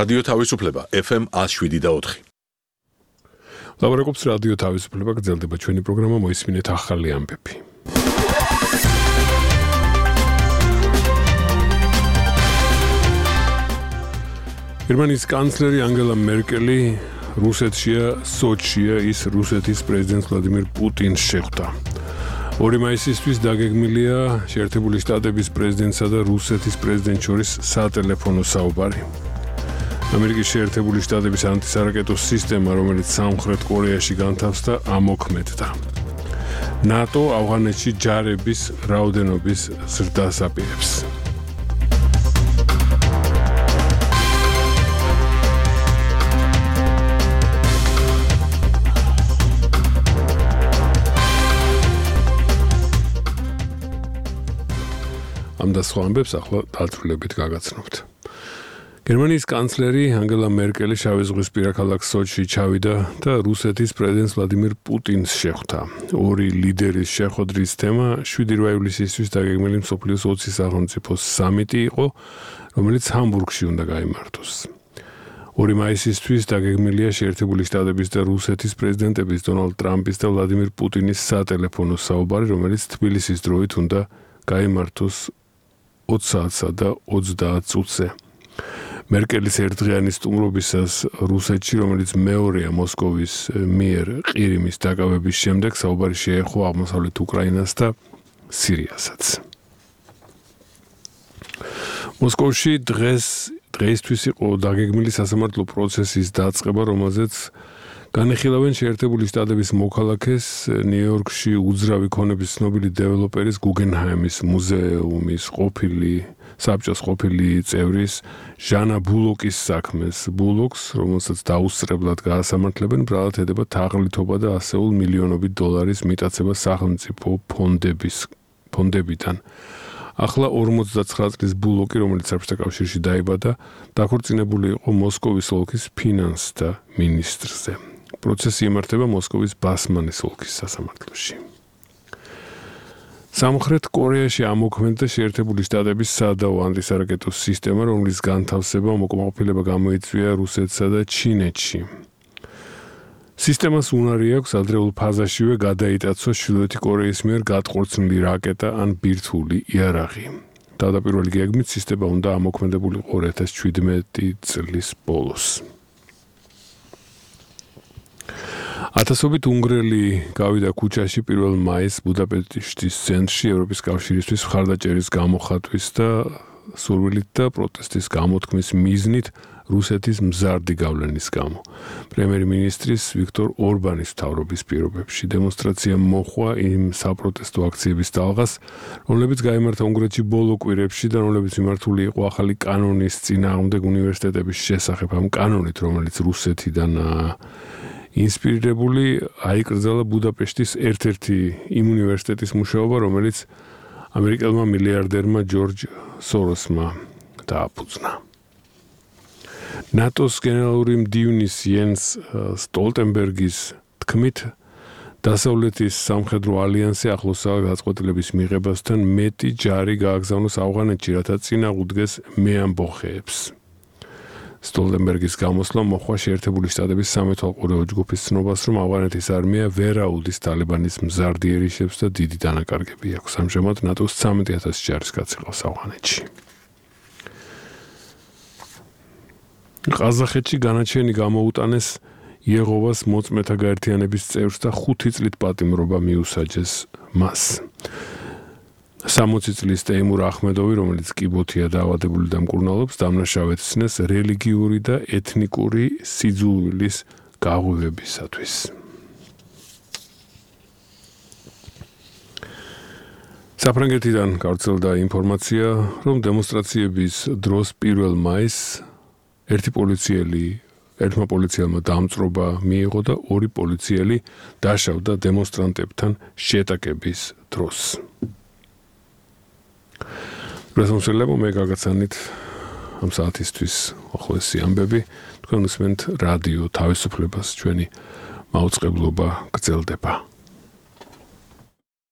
რადიო თავისუფლება FM 107.4. ლაბორატორიის რადიო თავისუფლება გრძელდება ჩვენი პროგრამა მოისმინეთ ახალი ამბები. გერმანიის კანცლერი ანგელა მერკელი რუსეთშია, სოჩია ის რუსეთის პრეზიდენტ ვლადიმირ პუტინს შეხვდა. 2 მაისისთვის დაგეგმილია შეერთებული შტატების პრეზიდენტსა და რუსეთის პრეზიდენტის შორის სატელეფონო საუბარი. ამერიკის შეერთებული შტატების ანტისარაკეტო სისტემა, რომელიც სამხრეთ კორეაში განთავსდა, ამოქმედდა. ნატო ავღანეთში ჯარების რაოდენობის ზრდას აპირებს. ამ და სხვა ამბებს ახლა დაწვრილებით გაგაცნობთ. გერმანიის კანცლერი ანგელა მერკელი შავი ზღვისპირა ქალაქ სოჩში ჩავიდა და რუსეთის პრეზიდენტ ვლადიმირ პუტინს შეხვდა. ორი ლიდერის შეხვედრის თემა 7 ივლისისთვის დაგეგმილი მსოფლიოს 20 სახელმწიფოს სამიტი იყო, რომელიც ჰამბურგში უნდა გაიმართოს. 2 მაისისთვის დაგეგმილია შეერთებული შტატების და რუსეთის პრეზიდენტების დონალდ ტრამპის და ვლადიმირ პუტინის სატელეფონო საუბარი, რომელიც თბილისის დროით უნდა გაიმართოს 20 საათსა და 30 წუთზე. მერკელის ერთდღიანი სტუმრობისას რუსეთში, რომელიც მეორეა მოსკოვის მიერ ყირიმის დაკავების შემდეგ, საუბარი შეეხო აღმოსავლეთ უკრაინას და სირიასაც. მოსკოვში დღეისთვის იყო დაგეგმილი სასამართლო პროცესის დაწყება, რომელზეც განეხილავენ შეერთებული შტატების მოქალაქეს ნიუ-იორკში უძრავი ქონების ცნობილი დეველოპერის გუგენჰაიმის მუზეუმის საბჭოს ყოფილი წევრის ჟანა ბულოკის საქმეს. ბულოკს, რომელსაც დაუსწრებლად გაასამართლებენ, ბრალად ედება თაღლითობა და ასეულ მილიონობით დოლარის მიტაცება სახელმწიფო ფონდებიდან. ახლა 49 წლის ბულოკი, რომელიც საბჭოთა კავშირში დაიბადა, დაქორწინებული იყო მოსკოვის ოლქის ფინანსთა მინისტრზე. პროცესი იმართება მოსკოვის ბასმანის ოლქის სასამართლოში. სამხრეთ კორეაში ამოქმედდა შეერთებული შტატების სადავო ანტისარაკეტო სისტემა, რომლის განთავსება უკმაყოფილება გამოიწვია რუსეთსა და ჩინეთში. სისტემას უნარი აქვს ადრეულ ფაზაშივე გადაიტაცოს ჩრდილოეთი კორეის მიერ გადახორციელებული რაკეტა ან ბირთვული იარაღი. თავდაპირველი გეგმით სისტემა უნდა ამოქმედებულიყო 2017 წლის ბოლოს. ათასობით უნგრელი გავიდა ქუჩაში 1 მაისს ბუდაპეშტის ცენტრში ევროპის კავშირისთვის მხარდაჭერის გამოხატვის და სურვილით და პროტესტის გამოთქმის მიზნით რუსეთის მზარდი გავლენის გამო. პრემიერ-მინისტრის ვიქტორ ორბანის მთავრობის პირობებში დემონსტრაცია მოჰყვა იმ საპროტესტო აქციების ტალღას, რომლებიც გაიმართა უნგრეთში ბოლო კვირებში და რომლებიც მიმართული იყო ახალი კანონის წინააღმდეგ უნივერსიტეტების შესახებ. ამ კანონით, რომელიც რუსეთიდან ინსპირირებული, აიკრძალა ბუდაპეშტის ერთ-ერთი იმ უნივერსიტეტის მუშაობა, რომელიც ამერიკელმა მილიარდერმა ჯორჯ სოროსმა დააფუძნა. ნატოს გენერალური მდივნის იენს სტოლტენბერგის თქმით, დასავლეთის სამხედრო ალიანსი ახლოსაა გადაწყვეტილების მიღებასთან მეტი ჯარი გააგზავნოს ავღანეთში, რათა წინააღმდეგს მეამბოხეებს. სტოლტენბერგის გამოსვლა მოჰყვა შეერთებული შტატების სამეთვალყურეო ჯგუფის ცნობას, რომ ავღანეთის არმია ვერ აუდის ტალიბანის მზარდი ერიშებს და დიდი დანაკარგები აქვს. ამჟამად ნატოს 13,000 ჯარისკაცი ყავს ავღანეთში. ყაზახეთში განაჩენი გამოუტანეს იეღოვას მოწმეთა გაერთიანების წევრს და 5 წლით პატიმრობა მიუსაჯეს მას. 60 წლის ტეიმურ ახმედოვი, რომელიც კიბოთია დაავადებული და მკურნალობს, დამნაშავეცნეს რელიგიური და ეთნიკური სიძულვილის გაღვივებისათვის. საფრანგეთიდან გავრცელდა ინფორმაცია, რომ დემონსტრაციების დროს 1 მაისს ერთმა პოლიციელმა დამწრობა მიიღო და 2 პოლიციელი დაშავდა დემონსტრანტებთან შეტაკების დროს. პრესამსვლელებო, მე გაგაცანით ამ საათისთვის უახლოესი ამბები. თქვენ უსმენთ რადიო თავისუფლებას, ჩვენი მაუწყებლობა გრძელდება.